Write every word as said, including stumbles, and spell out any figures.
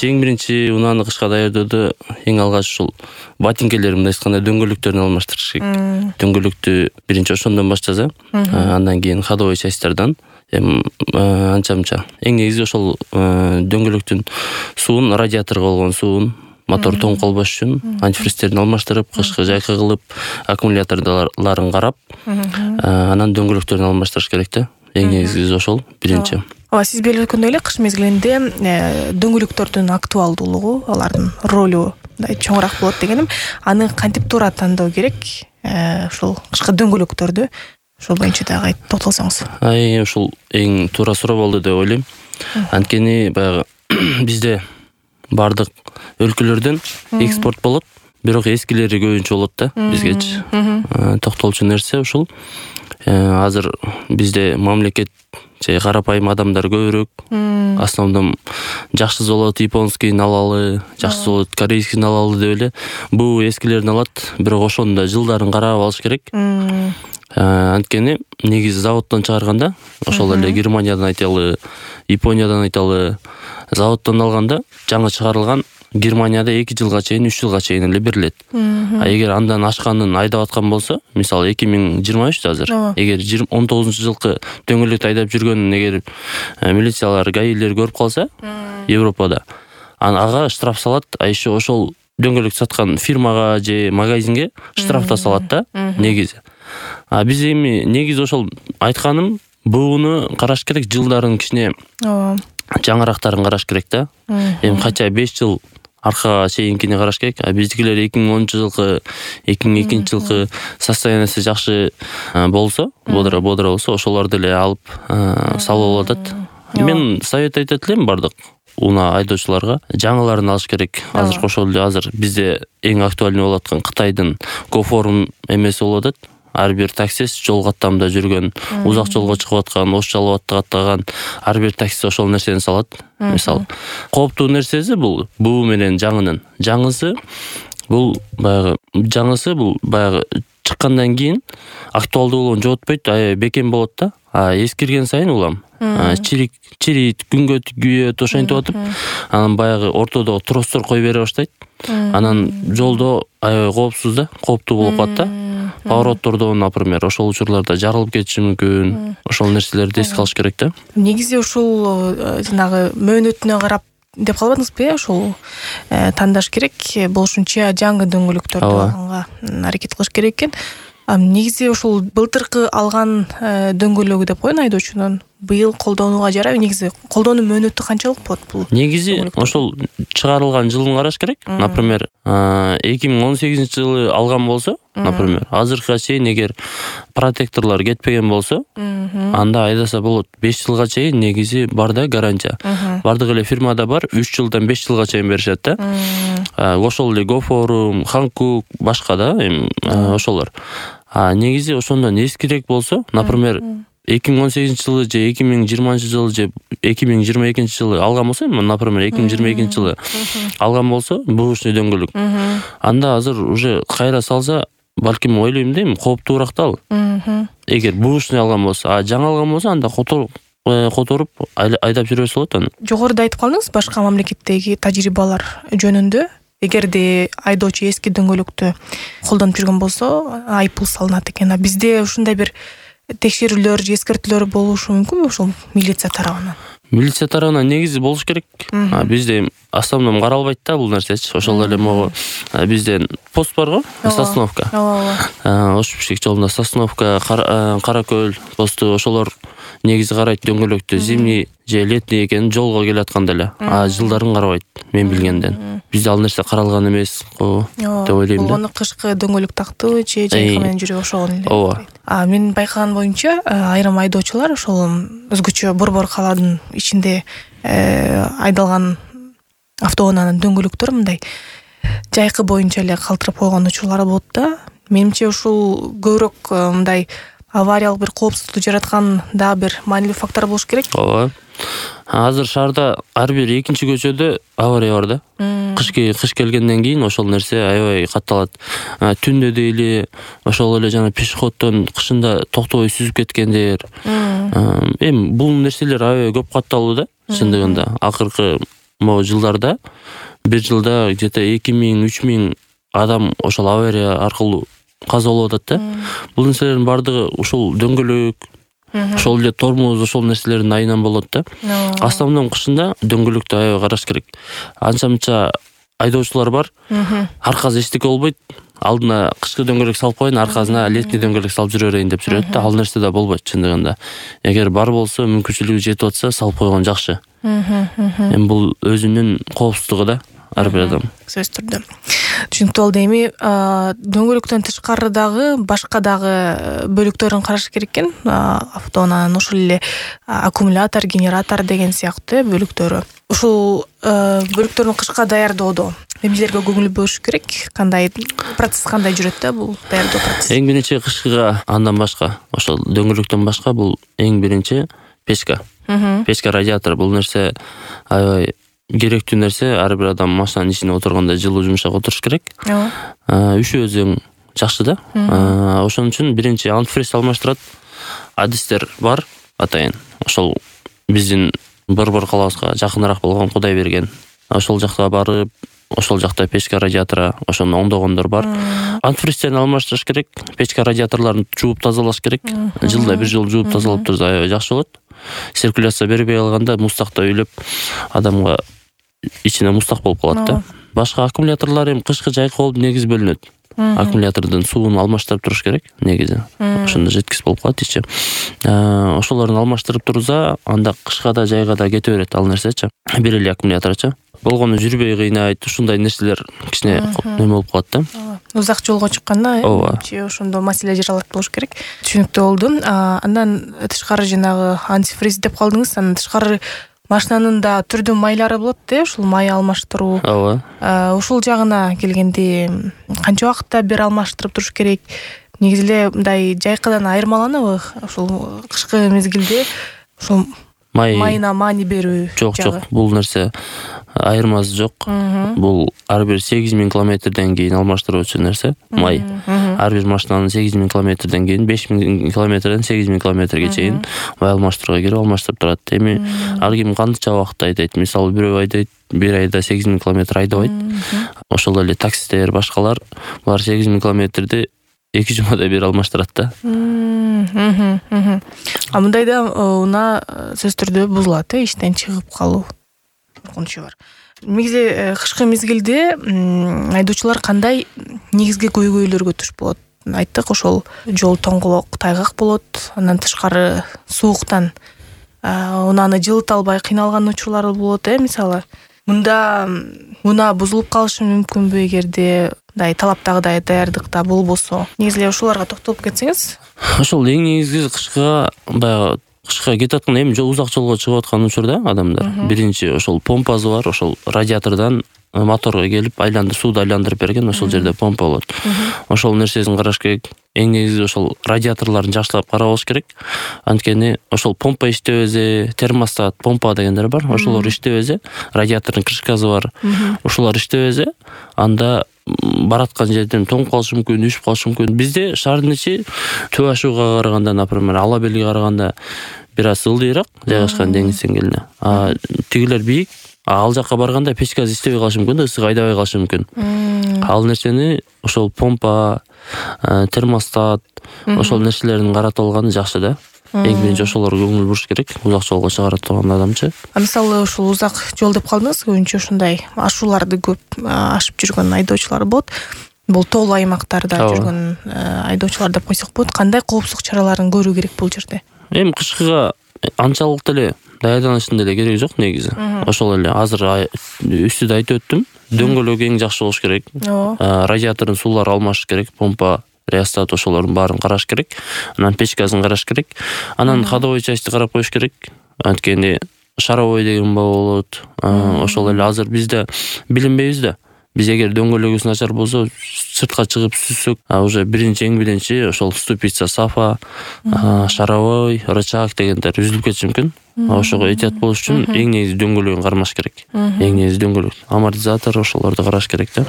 биринчи эң биринчи унааны кышка даярдоодо эң алгач ушул ботинкелер мындай айтканда дөңгөлөктөрүн алмаштырыш керек. Дөңгөлөктү биринчи ошондон баштаса, андан кийин ходовой частьтардан эми анча-мынча. Эң негизи ошол дөңгөлөктүн суун, радиаторго болгон суун, мотор тоң калбаш үчүн антифристерин алмаштырып, кышкы жайкы кылып, аккумуляторлорун карап, анан дөңгөлөктөрүн алмаштырыш керек да. Эң негизгиси ошол биринчи. Ооба, сиз белгилегендей эле кыш мезгилинде дөңгөлөктөрдүн актуалдуулугу, алардын ролу мындай чоңураак болот дегеним. Аны кантип туура тандоо керек? Ушул кышкы дөңгөлөктөрдү ошол боюнча дагы токтолсоңуз. Ай, ушул эң туура суроо болду деп ойлойм. Анткени баягы бизде бардык өлкөлөрдөн экспорт болот, бирок эскилери көбүнчө болот да бизгечи. Токтолчу нерсе ушул. Азыр бизде мамлекет же карапайым адамдар көбүрөөк. Основном жакшы завод японскийин алалы, жакшы завод корейскийин алалы деп эле бул эскилерин алат, бирок ошонун да жылдарын карап алыш керек. Анткени негизи заводдон чыгарганда, ошол эле Германиядан айталы, Япониядан айталы, заводдон алганда жаңы чыгарылган Германияда эки жылга чейин, үч жылга чейин эле берилет. А эгер андан ашканын айдап аткан болсо, мисалы эки миң жыйырма үч азыр, эгер он тогузунчу жылкы дөңгөлөктү айдап жүргөнүн эгер милициялар, гаилер көрүп калса, Европада, ага штраф салат, а еще ошол дөңгөлөк саткан фирмага же магазинге штраф да салат да, негизи. А биз эми негизи ошол айтканым, буну караш керек, жылдарын кичине жаңырактарын караш керек да. Эми кача беш жыл аркага чейинкини караш керек. А биздикилер эки миң онунчу жылкы, эки миң экинчи жылкы состояниясы жакшы болсо, бодро бодро болсо, ошолорду эле алып салып атат. Мен совет айтат элем бардык унаа айдоочуларга, жаңыларын алыш керек. Азыр ошол эле азыр бизде эң актуальный болуп аткан Кытайдын Гофорум эмеси болуп атат. Ар бир таксист жол каттамда жүргөн, узак жолго чыгып аткан, ош жалып аттаган ар бир таксист ошол нерсени салат. Мисалы, кооптуу нерсеси бул, буу менен жаңынын. Жаңысы бул баягы жаңысы бул баягы чыккандан кийин актуалдуулугун жоготпойт, аябай бекем болот да. А эскирген сайын улам чирик чирийт, күнгө күйөт, ошентип атып, анан баягы ортодогу тростор кой бере баштайт. Анан жолдо аябай коопсуз да, кооптуу болуп калат да. Повороттордон, например, ошол учурларда жарылып кетиши мүмкүн. Ошол нерселерди эске алыш керек да. Негизи ушул жанагы мөөнөтүнө карап деп калбадыңызбы, ошол тандаш керек, болушунча жаңы дөңгөлөктөрдү алганга аракет кылыш керек экен. Негизи ушул былтыркы алган дөңгөлөгү деп коеюн айдоочунун быйыл колдонууга жарайбы? Негизи колдонуу мөөнөтү канчалык болот бул? Негизи ошол чыгарылган жылын караш керек. Например, эки миң он сегизинчи жылы алган болсо, например, азыркыга чейин эгер протекторлор кетпеген болсо, анда айдаса болот. беш жылга чейин негизи бар да гарантия. Бардык эле фирмада бар, үч жылдан беш жылга чейин беришет да. Ошол эле Гофорум, Ханкук, башка да, эми ошолор. А негизи ошондон эскирээк болсо, например, эки миң он сегизинчи жылы же эки миң жыйырманчы жылы же эки миң жыйырма экинчи жылы алган болсо, например, эки миң жыйырма экинчи жылы алган болсо, бушный дөңгөлөк. Анда азыр уже кайра салса, балким ойлойм дейм, кооптуураак да ал. Эгер бушный алган болсо, а жаңы алган болсо, анда которуп которуп айдап жүрөсү болот аны. Жогоруда айтып калдыңыз башка мамлекеттеги тажрыйбалар жөнүндө. Эгерде айдоочу эски дөңгөлөктү колдонуп жүргөн болсо, айыппул салынат экен. А бизде ушундай бир текшерүүлөр же эскертүүлөр болушу мүмкүнбү ушул милиция тарабынан? Милиция тарабынан негизи болуш керек. Бизде основном каралбайт да бул нерсечи. Ошол эле могу бизде пост бар го, Сосновка. Ош Бишкек жолунда Сосновка, Каракөл посту, ошолор негизи карайт дөңгөлөктү, зимний же летний экенин жолго келатканда эле. А жылдарын карабайт, мен билгенден. Бизде ал нерсе каралган эмес го деп ойлойм да. Аны кышкы дөңгөлөк тактыбы же жайкы менен жүрүп ошол эле. Ооба. А мен байкаган боюнча айрым айдоочулар ошол өзгөчө борбор калаанын ичинде айдалган автоунаанын дөңгөлөктөрү мындай жайкы боюнча эле калтырып койгон учурлар болот да. Менимче ушул көбүрөөк мындай авариялык бир коопсуздукту жараткан да бир маанилүү фактор болуш керек. Ооба. Азыр шаарда ар бир экинчи көчөдө авария бар да. Кыш кыш келгенден кийин ошол нерсе аябай катталат. Түндө дейли ошол эле жана пешеходдон кышында токтобой сүзүп кеткендер. Эми бул нерселер аябай көп катталуу да. Чындыгында акыркы могу жылдарда бир жылда где-то эки миң үч миң адам ошол авария аркылуу каза болуп атат да. Бул нерселердин баардыгы ушул дөңгөлөк, ошол эле тормоз, ошол нерселердин айынан болот да. Основном кышында дөңгөлөктү аябай караш керек. Анча-мынча айдоочулар бар. Аркасы эчтеке болбойт. Алдына кышкы дөңгөлөк салып коеюн, аркасына летний дөңгөлөк салып жүрө берейин деп жүрөт да. Ал нерсе да болбойт чындыгында. Эгер бар болсо, мүмкүнчүлүгү жетип атса, салып койгон жакшы. Эми бул өзүнүн коопсуздугу да, ар бир адам. Сөзсүз түрдө. Түшүнүктүү болду. Эми дөңгөлөктөн тышкары дагы башка дагы бөлүктөрүн караш керек экен. Автоунаанын ошол эле аккумулятор, генератор деген сыяктуу бөлүктөрү. Ушул бөлүктөрдүн кышка даярдоодо эмнелерге көңүл буруш керек? Кандай процесс кандай жүрөт да бул даярдоо процесси? Эң биринчи кышкыга андан башка, ошол дөңгөлөктөн башка бул эң биринчи печка. Печка радиатор бул нерсе аябай керектүү нерсе. Ар бир адам машинанын ичине отурганда жылуу жумшак отуруш керек. Üşөөсөң жакшы да. Ошон үчүн биринчи антифриз алмаштырат. Адистер бар атайын. Ошол биздин Борбор калабызга жакыныраак болгон Кудай берген. Ошол жакка барып, ошол жакта печка радиатора ошону оңдогондор бар. Антифризтерин алмаштырыш керек. Печка радиаторлорун жууп тазалаш керек. Жылда бир жолу жууп тазалап турса аябай жакшы болот. Циркуляция бербей калганда мустакта үйлөп адамга ичине мустак болуп калат да. Башка аккумуляторлор эми кышкы жайкы болуп негиз бөлүнөт. Аккумулятордун суун алмаштырып туруш керек негизи. Ошондо жеткиз болуп калат ичи. Ошолорун алмаштырып турса, анда кышка да жайга да кете берет ал нерсечи. Бир эле аккумуляторчу. Болгону жүрбөй кыйнайт, ушундай нерселер кичине неме болуп калат да. Узак жолго чыкканда ошондо маселе жаралат болуш керек. Түшүнүктүү болду. Андан тышкары жанагы антифриз деп калдыңыз. Андан тышкары машинанын да түрдүү майлары болот да, ушул май алмаштыруу. Ооба. Ушул жагына келгенде канча убакытта бир алмаштырып туруш керек? Негизи эле мындай жайкадан айырмаланабы? Ушул кышкы мезгилде ушул майына маани берүү? Жок, жок. Бул нерсе айырмасы жок. Бул ар бир сегиз миң километрден кийин алмаштыруучу нерсе май. Ар бир машинанын сегиз миң километрден кийин беш миң километрден сегиз миң километрге чейин май алмаштырууга кирип алмаштырып турат. Эми ар ким кантча убакытта айдайт. Мисалы бирөө айдайт бир айда сегиз миң километр айдабайт. Ошол эле таксистер, башкалар булар сегиз миң километрди эки жумада бир алмаштырат да. А мындайда унаа сөзсүз түрдө бузулат, э, иштен чыгып калуу коркунучу бар. Негизи кышкы мезгилде айдоочулар кандай негизги көйгөйлөргө туш болот? Айттык, ошол жол тоңголок, тайгак болот. Андан тышкары сууктан унааны жылыта албай кыйналган учурлар болот, э, мисалы. Мында унаа бузулуп калышы мүмкүнбү эгерде мындай талаптагыдай даярдыкта болбосо? Негизи эле ушуларга токтолуп кетсеңиз. Ошол эң негизги кышкыга баягы кышка кетип аткан эми узак жолго чыгып аткан учурда адамдар биринчи ошол помпасы бар, ошол радиатордон моторго келип айландырып, сууду айландырып берген, ошол жерде помпа болот. Ошол нерсесин караш керек. Эң негизи ошол радиаторлорун жакшылап карап алыш керек. Анткени ошол помпа иштебесе, термостат, помпа дегендер бар. Ошолор иштебесе, радиатордун крышкасы бар. Ошолор иштебесе, анда бараткан жерден тоңуп калышы мүмкүн, үшүп калышы мүмкүн. Бизде шаардын ичи Түп ашууга караганда, например, Ала белге караганда бир аз ылдыйраак жайгашкан деңиз деңгээлине. А тигилер бийик. Ал жакка барганда печкасы иштебей калышы мүмкүн да, ысык айдабай калышы мүмкүн. Ал нерсени ошол помпа, термостат, ошол нерселерин каратып алганы жакшы да. Эң биринчи ошолорго көңүл буруш керек. Узак жолго чыгара турган адамчы. А мисалы ушул узак жол деп калдыңыз, көбүнчө ушундай ашууларды көп ашып жүргөн айдоочулар болот. Бул тоолуу аймактарда жүргөн айдоочулар деп койсок болот. Кандай коопсуздук чараларын көрүү керек бул жерде? Эми кышкыга анчалык деле даярданышын деле кереги жок негизи. Ошол эле азыр үстүдө айтып өттүм. Дөңгөлөк эң жакшы болуш керек. Радиатордун суулары алмашыш керек. Помпа, реостат ошолордун баарын караш керек. Анан печкасын караш керек. Анан ходовой частьты карап коюш керек. Анткени шаровой деген болот. Ошол эле азыр бизде билинбейбиз да. Биз эгер дөңгөлөгүбүз начар болсо, сыртка чыгып сүзсөк, уже биринчи эң биринчи ошол ступица, сафа, шаровой, рычаг дегендер үзүлүп кетиши мүмкүн. Ошого этият болуш үчүн эң негизи дөңгөлөгүн кармаш керек. Эң негизи дөңгөлөк. Амортизатор ошолорду караш керек да.